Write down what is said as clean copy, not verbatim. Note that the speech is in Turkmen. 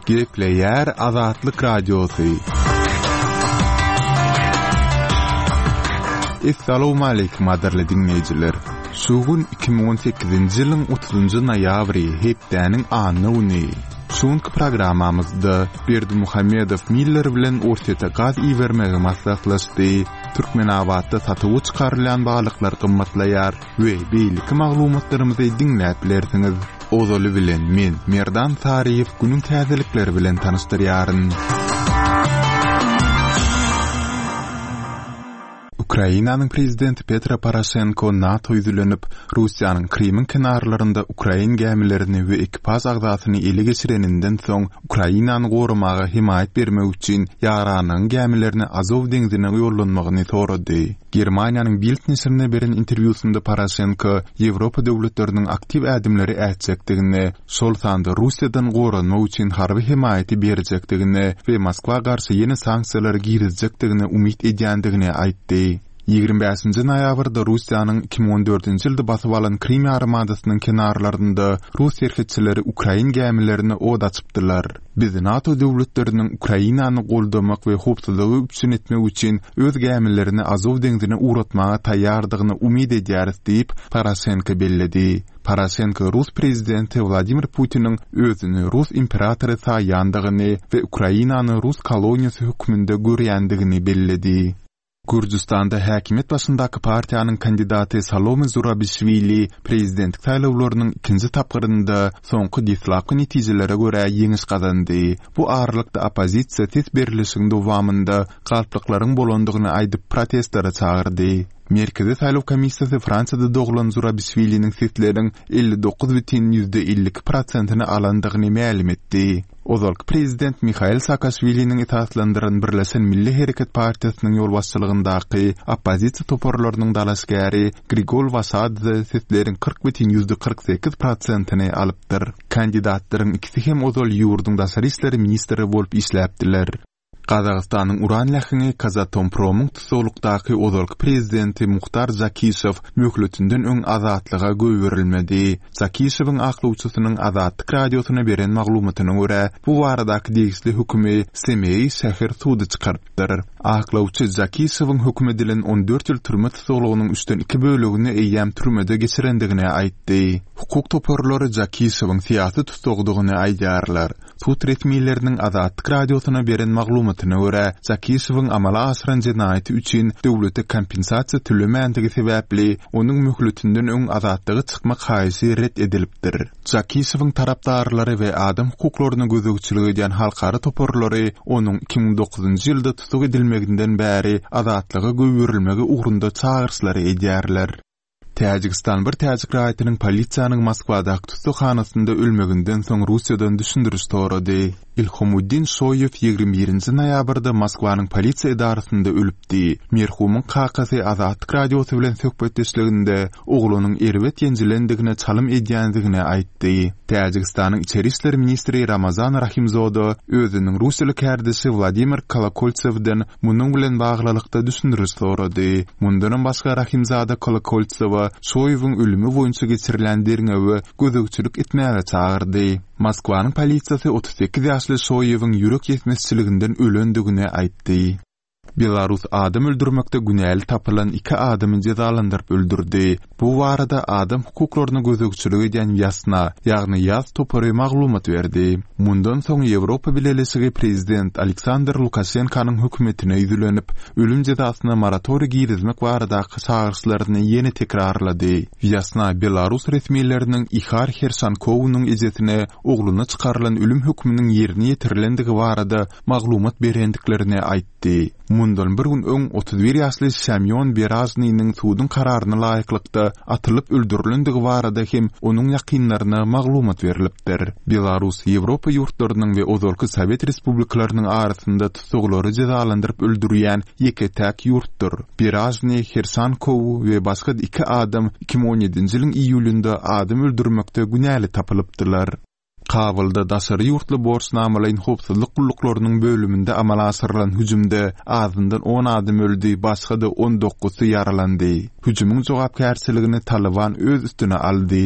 Gepleýär Azatlyk Radiosy. Essalawmaleýkim gadyrly diňleýjiler! Şu gün 2018-nji ýylyň 30-njy noýabry, hepdäniň anna güni. Şu günki programmamyzda Berdimuhamedow Miller bilen Orsýete gaz ibermegi maslahatlaşdy, Türkmenabatda satuwa çykarylýan balyklar gymmatlaýar we beýleki maglumatlarymyzy diňläp bilersiňiz. Ozaly bilen men, Merdan Saryýew günüň täzelikleri bilen tanyşdyrýaryn. Ukrainanyň prezidenti Petro Poroşenko NATO ýüzlenip, Russiýanyň Krymyň kenarlarynda ukrain gämilerini we ekipaž agzasyny ele geçireninden soň Ukrainany goramaga hemaýat bermek üçin ýaranlygyň gämilerini Azow deňzine ýollanmagyny sorady. Germaniýanyň Bild neşirine beren interwýusynda Poroşenko Ýewropa döwletleriniň aktiw ädimleri ätjekdigini, şol sanda Russiýadan goranmak üçin harby hemaýaty berjekdigine we Moskwa garşy ýene sanksiýalary girizjekdigine umyt edýändigini aýtdy. 25-nji noýabrda Russiýanyň 2014-nji ýylda basyp alan Krym ýarymadasynyň kenarlarynda rus serhetçileri ukrain gämilerine od açypdylar. Biz NATO döwletleriniň Ukrainany goldamak we howpsuzlygy üpjün etmek üçin öz gämilerini Azow deňzine ugratmaga taýýardygyna umyt edýäris diýip, Poroşenko belledi. Poroşenko rus prezidenti Wladimir Putiniň özüni rus imperatory saýýandygyny we Ukrainany rus koloniýasy hökmünde görýändigini belledi. Gürjüstanda häkimiýet başyndaky partiýanyň kandidaty Salome Zurabişwili prezidentlik saýlawlarynyň ikinji tapgyrynda soňky deslapky netijelere görä ýeňiş gazandy. Bu aralykda oppozisiýa ses berlişigiň dowamynda galplyklaryň bolandygyny aýdyp protestlere çagyrdy. Merkezi saýlaw komissiýasy Fransiýada doglan Zurabişwiliniň sesleriň 59 bütin 52 prosentini alandygyny mälim etdi. Ozalky prezident Mihail Saakaşwiliniň esaslandyran Birleşen Milli Hereket partiýasynyň ýolbaşçylygyndaky oppozisiýa toparlarynyň dalaşgäri Grigol Waşadze sesleriň 40 bütin 48 prosentini alypdyr. Kandidatlaryň ikisi hem ozal ýurduň daşary işler ministri bolup işläpdiler. Gazagystanyň uran läheňi Kazatompromyň tussaglykdaky ozalky prezidenti Muhtar Žakişow möhletinden öň azatlyga goýberilmedi. Žakişowyň aklawçysynyň Azatlyk Radiosyna beren maglumatyna görä, bu baradaky degişli hökümi Semeý şäher sudy çykarypdyr. Aklawçy Žakişowyň höküm edilen 14 ýyl türme tussaglygynyň üçden iki bölegini eýýäm türmede geçirendigini aýtdy. Hukuk toparlary Žakişowyň syýasy tussagdygyny aýdýarlar. Sud resmileriniň Azatlyk Radiosyna beren maglumatyna görä, Jakişewiň amala aşyran jenaýaty üçin döwlete kompensasiýa tölemändigi sebäpli, onuň möhletinden öň azatlyga çykmak haýyşy ret edilipdir. Jakişewiň tarapdarlary we adam hukuklaryna gözegçilik edýän halkara toparlary onuň 2009-njy ýylda tussag edilmeginden bäri azatlyga goýberilmegi ugrunda çagyryşlary edýärler. Täjigistan bir täjik raýatynyň polisiýanyň Moskwadaky tussaghanasynda ölmeginden soň Russiýadan düşündiriş sorady. Ilhomuddin Şoýew 21-nji noýabrda Moskwanyň polisiýa edarasynda ölüpdi. Merhumyň kakasy Azatlyk Radiosy bilen söhbetdeşliginde oglunyň erbet ýenjilendigine çalym edýändigini aýtdy. Täjigistanyň içeri işler ministri Ramazan Rahimzoda özüniň russiýaly kärdeşi Wladimir Kolokoltsewden Munuň bilen baglylykda düşündiriş sorady. Mundanam başga Rahimzada Kolokoltsewa Şoýewiň ölümi boýunça geçirilýän derňewe gözegçilik etmäge çagyrdy. Moskwanyň polisiýasy 38 ýaşly Şoýewiň ýürek ýetmezçiliginden ölendigini aýtdy. Belarus adam öldürmekde günäli tapylan iki adamy jezalandyryp öldürdi. Bu barada adam hukuklaryna gözegçilik edýän Wýasna, ýagny Ýaz topary maglumat berdi. Mundan soň Ýewropa Bileleşigi prezident Aleksandr Lukaşenkanyň hökümetine ýüzlenip, ölüm jezasyna moratoriý girizmek baradaky çagyryşlaryny ýene tekrarlady. Wýasna belarus resmileriniň Ihar Herşankownyň ejesine ogluna çykarylan ölüm hökmüniň ýerine ýetirilendigi barada maglumat berendiklerini aýtdy. Aýtdy. Mundan bir gün öň 31 ýaşly Semýon Beražnynyň suduň kararyna laýyklykda atylyp öldürilendigi barada hem onuň ýakynlaryna maglumat berlipdir. Belarus Ýewropa ýurtlarynyň we ozalky sowet respublikalarynyň arasynda tussaglary jezalandyryp öldürýän ýeke-täk ýurtdur. Beražnyý, Herşankow we başga iki adam 2017-nji ýylyň iýulynda adam öldürmekde günäli tapylypdylar. Kabulda daşary ýurtly borçnamalaýyn howpsuzlyk gulluklarynyň bölüminde amala aşyrylan hüjümde azyndan on adam öldi, başga-da on dokuzsy ýaralandy. Hüjümiň jogapkärçiligini Talyban öz üstüne aldy.